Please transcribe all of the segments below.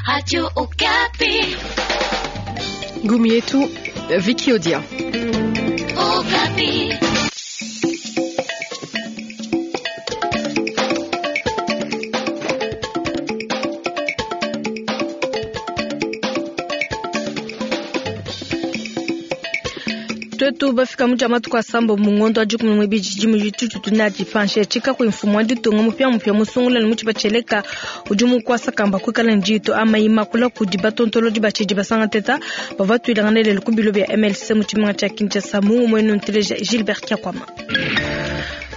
Radio Okapi. Ngumi yetu Vicky Odia. Okapi. Twetu bafika mu dia matuku asambo mu ngondo wa dikumi muibidi tshidimu tshitutu tunadi panshi tshika ku mfumu wa ditunga mupia mupia musungula ne mutshipa tshieleka udi mukwasa kamba kuikala ne diito amayi makula kudi batontolodi batshidi basanga teta bavua tuilangana lelu ku bilo bia MLC mu tshimenga tshia Kinshasa mu umuenu nteleja Gilbert Kiakwama.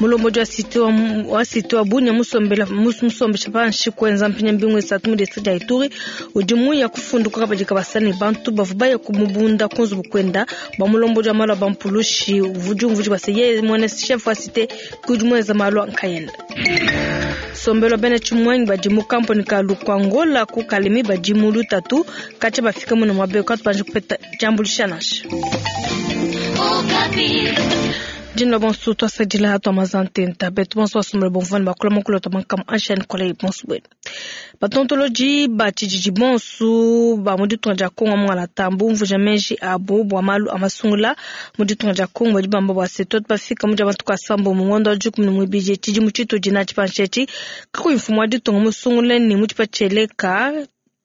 Mulombodi wa site wa wa site wa Bunia musombela musombesha panshi kuenza mpinya mbingu isatu mu district dia Ituri udi muya kufunduka kabadi kabasa ne bantu bavua baya kumubunda ku nzubu kuenda bua mulombodi wa malu a bampulushi uvudi umvudi bua se yeye muena chef wa site kudi muenza malu a nkayenda. Sombelo bena tshimuangi badi mu kamponi ka Lukwangola ku Kalemi badi mu lutatu katshia bafika muna muaba eu katubanji kupeta diambuluisha nansha. Dina bonso twasadila atwa mazantenta betu bonso basombela bomvua ne bakula mukulu twa mankamu anshani kolei bonso bwenu batontoloji ba tshididi bonso ba mu ditunga dia Kongo mungala bumvuja meji abu bua malu a masungula mu ditunga dia Kongo badi bamba bua se tuetu bafika mu dia matuku asambo mu ngondo wa dikumi ne muibidi tshidimu tshitudi natshi panshi etshi kakuyi mfumu wa ditunga musungule ne mu tshipa tshieleka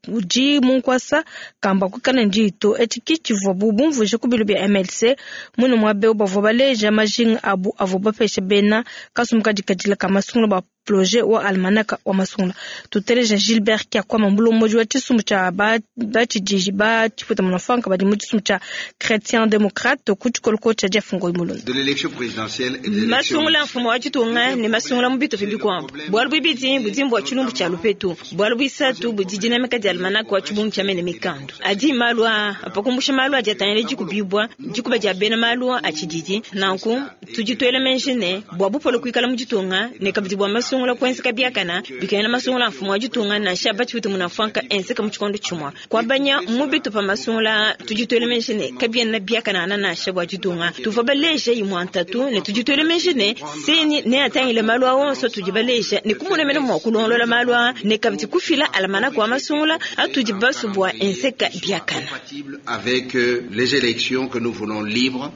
udi mu nkuasa kamba kuikala ne diito etshi ki tshivuabu bumvuije ku bilo bia MLC muine muaba eu bavua baleja majinga abu avua bapesha bena kasumbu kadikadila ka masungula ba projet wa almanaka wa masungula. Tuteleja Gilbert Kiakwama mulombodi wa tshisumbu tshia batshidiji ba tshipuita munafanka badi mu tshisumbu tshia Chretien Democrate ku tshikoloko tshia Jeff Ngoyi Mulonda. Masungula mfumu wa ditunga ne masungula mu bitupa bikuabu. Bualu buibidi budi mbua tshilumbu tshia lupetu. Bualu buisatu budi dinamika dia almanaka wa tshibungu tshia mene mikandu. Adi malu aa pa kumbusha malu adi atangila dikubibua dikuba dia bena malu a tshididi. Nanku tudi tuela meji ne bua bupole kuikala mu ditunga ne kabidi bua masungula kuenzeka biakana bikengela masungula a mfumu wa ditunga nansha batshipite munafuanka enzeka mu tshikondo tshimue. Kuabanya mu bitupa masungula tudi tuela meji ne kabiena biakanangana nansha bua ditunga. Tuvua baleja imue ntatu ne tudi tuela meji ne CENI neatangile malu aa onso atudi baleja ne kumona mene mua kulongolola malu aa ne kabidi kufila almanaka wa masungula atudi basue bua enzeka biakana. Avec les élections que nous voulons libres.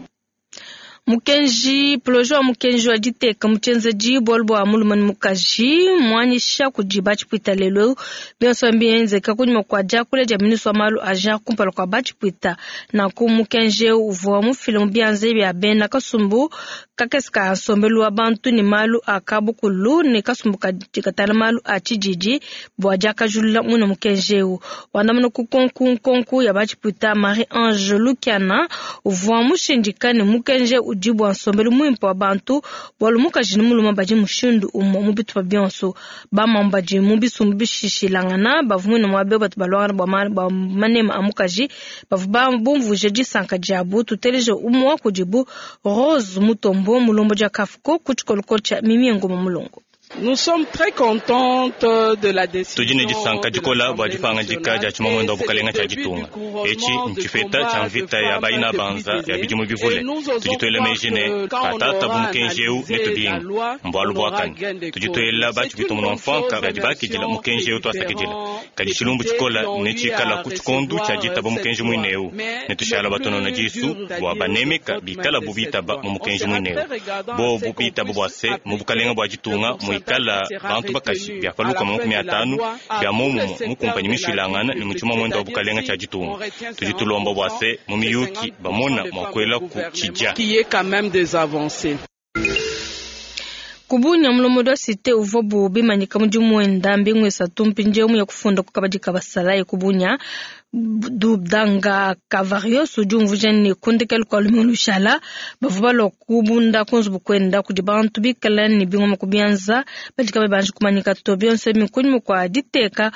Mukenji projet wa mukenji wa diteka mu tshienzedi bualu bua mulume ne mukaji muanyisha kudi batshipwita lelu eu bionso mbienzeka kunyima kua diakula dia ministre wa malu a genre kumpala kua batshipwita. Nanku mukenji eu uvua mufile mu bianza bia bena kasumbu kakese ka nsombelu wa bantu ne malu a kabukulu ne kasumbu kadi katala malu a tshididi bua diakajulula muine mukenji eu. Wandamuna ku nkonku nkonku ya batshipwita Marie Ange Lukiana uvua mushindika ne mukenji udi bua nsombelu muimpe wa bantu bualu mukaji ne mulume badi mushindu umue mu bitupa bionso. Bamamu badi mu bisumbu bishishilangana bavua muine muaba eu batu baluangana bua manema a mukaji bavua bumvuije disanka diabu. Tuteleje umue wa kudibu Rose Mutombo mulombodi wa Kafuko ku tshikoloko tshia Mimie Ngoma Mulongo. Nous sommes très contentes de la décision Tudi ne disanka dikola bua dipangadika dia tshimamuende wa bukalenga tshia ditunga. Etshi ntshipeta tshia mvita ya bayina banza ya bidimu bivule. Tudi tuela meji ne patata bu mukenji eu netubinga mbualu buakane. Tudi tuela batshipita munua-mfuanka badi bakidila mukenji eu tuasakidila. Kadi tshilumbu tshikola netshikala ku tshikondu tshia ditaba mukenji muine eu. Netushala batonona disu bua banemeka bikala bu bitaba mu mukenji muine eu. Bobu bitaba bua se mu bukalenga bua ditunga muikala bantu bakaji bia pa lukama makumi atanu bia momumue mu kumpanyi mishilangana ne mu tshimamuende wa bukalenga tshia ditunga. Tudi tulomba bua se mu miyuki bamona mua kuela ku tshidia. Qui est quand même des avancées. Ku Bunia mulombodi wa site uvuabu bimanyika mudimu wenda mbingu isatu mpindieu muya kufunda ku kabadi ka basalayi ku Bunia. Dudanga Kavarios udi umvuija ne ku ndekelu kua lumingu lushala bavua balua kubunda ku nzubu kuenda kudi bantu bikale ne bingoma ku bianza badi kabayi banji kumanyika to. Bionso ebi nkunyima kua diteka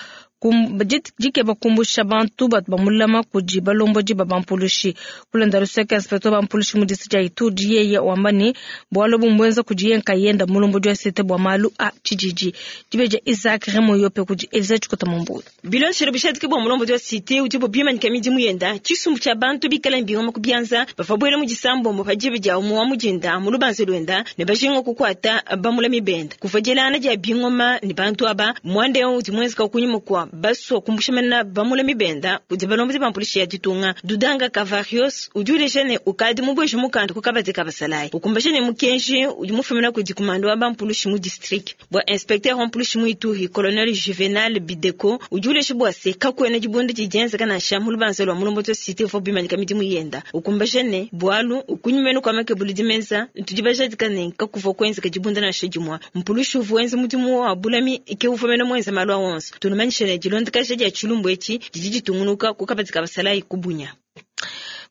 dikeba kumbusha bantu batu bamulama kudi balombodi ba bampulushi. Kulonda luseke inspecteur bampulushi mu district dia Ituri yeye wamba ne bualu bumbuenza kudi ye nkayenda mulombodi wa site bua malu a tshididi. Dibeja Isaac Remo Yope kudi Elisa Tshikota Mumbu. Bilondeshile bushadiki bua mulombodi wa site udibo bimanyika midimu yenda tshisumbu tshia bantu bikala ne bingoma ku bianza bavua buela mu disambombo pa diba dia umue wa mudinda mu lubanza luenda ne bajinga kukuata bamulami benda. Kuvua dielangana dia bingoma ne bantu aba muanda eu udi muenzeka kunyima kua Basua kumbusha mena bamulami benda kudi balombodi ba mpulishi ya ditunga. Dudanga Kavarios udi uleja ne ukadi mubueje mukanda ku kabadi ka basalayi, ukumbaja ne mukenji udi mufumina kudi kumanda wa bampulushi mu district. Bua inspecteur wa mpulushi mu Ituri, colonel Juvenal Bideko udi uleja bua se kakuena dibunda didi dienzeka nansha mu lubanza lua mulombodi wa cité uvua bimanyika midimu yenda, ukumbaja ne bualu kunyima kua makebulu dimenza tudi bajadika ne kakuvua kuenzeka dibunda nansha dimue. Mpulushi uvua wenza mudimu wa bulami ke uvua mene muenza malu a onso. Tunumanyishe ne dilondakaja dia tshilumbu etshi didi ditungunuka ku kabadi ka basalayi ku Bunia.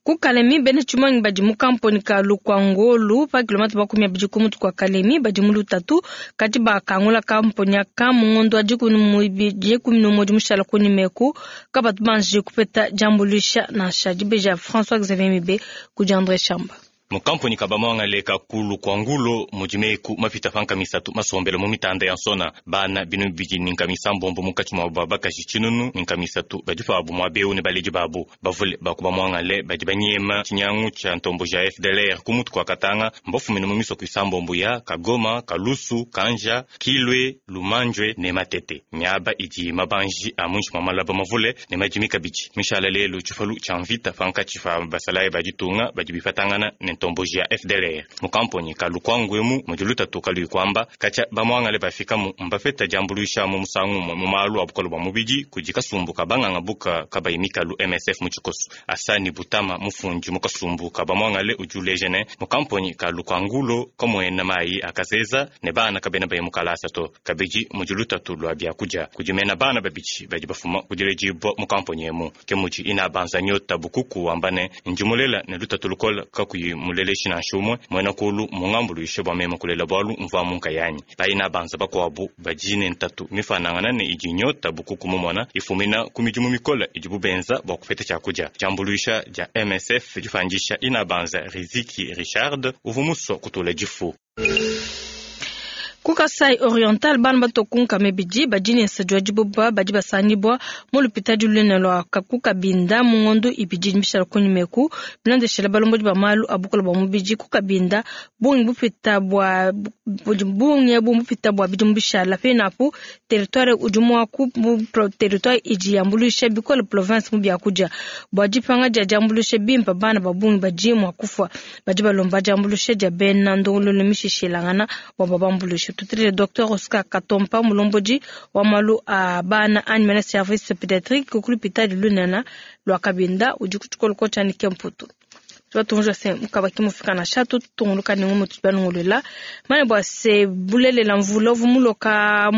Ku Kalemi, bena tshimuangi badi mu kamponi ka Lukwangolu pa kilomètre 20 ku mutu kua Kalemi badi mu lutatu kadi bakangula kamponi aka mu ngondo wa 11 mushala kunyima eku kabatu banji kupeta diambuluisha nansha. Dibeja François Xavier Mibe kudi André Chamba. Mukampuni kabamwangale kakulu kwa ngulo mudimeku mapita panka misatu masombelo mu mitanda ya nsona bana binu bidi ni nkamisa mbombo munkatshi mwa babakaji tshinunu ni nkamisatu badi pabu mwa beu ne baledi babu bavule bakubamwangale badi banyema tshinyangu tsha ntombo ja FDLR ku mutu kwa Katanga mbafumine mu misoko isambombo ya Kagoma, Kalusu, Kanja, Kilwe, Lumanjwe ne Matete miaba idi mabanji a muinshi mwa malaba mavule ne madimi kabidi mishala lelu tshifalu tsha mvita pankatshi pa basalayi baditunga badi bifatangana ne ntomboji ya FDLR mukamponi kalukwangwemu mudi lutatu kaluikwamba katsha bamwangale bafikamu mbafeta diambuluisha mu musangu mu malu a bukolo bwa mubidi kudi kasumbu kabanganga buka kabayi mikalu MSF mu tshikoso. Asani Butama mufundi mu kasumbu kabamwangale udi uleja ne mukamponi kalukwangulo kamuena mayi akazeza ne bana kabena bayi mukalasa to kabidi mudi lutatu lwa biakudia kudi mena bana babidi badi bafuma kudiledibwa mukamponi emu ke mudi ina banza nyota bukuku wamba ne ndimulela ne lutatu lukola kakuyi muleleshi nansha umwe mwena kulu mungambuluishe bwa meme kulela bwalu mva munkayanyi bayina banza bakwabu badi ne ntatu mifanangana ne idi nyota bukuku mumona ifumina ku midimu mikola idi bubenza bwa kupeta tshiakudia diambuluisha dia MSF difandisha ina banza Riziki Richard uvu muswa kutula difu. Ku Kasai Oriental bana batokunka mebidi badi ne nsadi wa diboba badi basangibwa mu lupitadi lunene lwa ku Kabinda mu ngondo ibidi mishala kunyima eku bilondeshela balombodi ba malu a bukole bwa mubidi ku Kabinda bungi bupita bwa bungi ebu bupita bwa bidimu bishala penapu territoire udi mua ku territoire idi yambuluisha bikole province mu biakudia bwa dipanga dia diambuluisha bimpa bana ba bungi badi mua kufwa badi balomba diambuluisha dia bena ndongololo mishishilangana bwa babambuluisha. Tutele Dr Oscar Katompa mulombodi wa malu a bana animal service pédiatrique ku lupitadi lunene lwa Kabinda udi ku tshikolo tshia Nikemputu. Tubatunja se mukabaki mufika na shatu tunguluka ni ngumu tubanungulela mane bwa se bulelela mvula vumuloka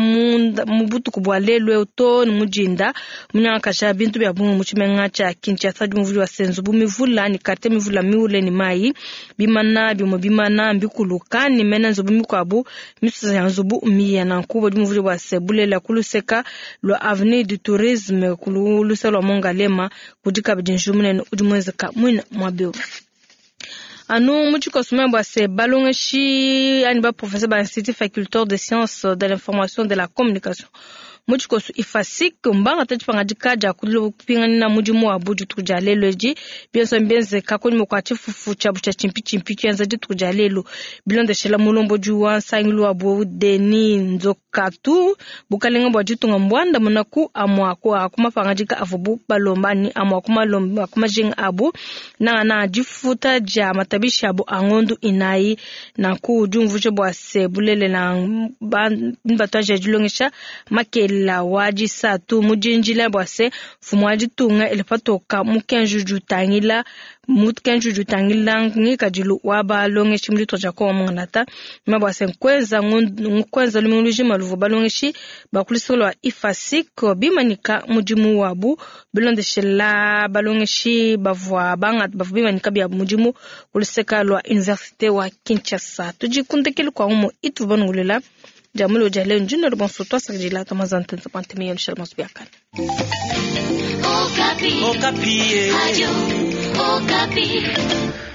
mubutuku bwa lelu to ni mujinda munyanga bintu bya bungu mu tshimenga tsha Kinshasa dimuvuli wa senzu bumivula ni karte mivula miule ni mai bimana bimwe bimana mbikuluka ni mena nzubu mikwabu misusa ya nzubu miya na nkubo dimuvuli wa se bulela kuluseka lwa avenue du tourisme kulusa lwa Mongalema kudika bidinjumunene udi mwezeka mwina mwabeo. Anu muchikosuma bwa se balongeshi ani ba professeur ba institut faculté de sciences de l'information de la communication muchikosu ifasik mbanga tachipanga dikaja kulupingana mudimu wa buju tukuja lelo eji bionso mbenze kakunyima kwa chifufu cha bucha chimpi chimpi kianza ditukuja lelo bilondeshela mulombo wa nsangilu wa bu Deni Nzokatu bukalenga bwa ditunga mbwanda munaku amwa kwa kumapanga dika avubu balomba ni amwa kumalomba kumajinga abu na na difuta ja matabisha abu angondu inayi na ku diumvuje bwa se bulele na batwaje dilongesha makele la waji satu mujinjila bwa se mfumu wa ditunga elepatoka mukenju jutangila mukenju jutangila ngikadilu wa balongeshi mu ditunga dia Kongo munganata ma bwa se nkwenza lumingu lujima luvu balongeshi bakulisolo lwa ifasik bimanika mudimu wabu bilondeshela balongeshi bavua bangata bavua bimanika bia mudimu kuluseka lwa université wa Kinshasa tujikundekele kwa umo itu banungulela Jamulo jale njino le bon soto sakjila tamazante pantemi yo shalmos biakana. Okapi. Okapi. Radio Okapi.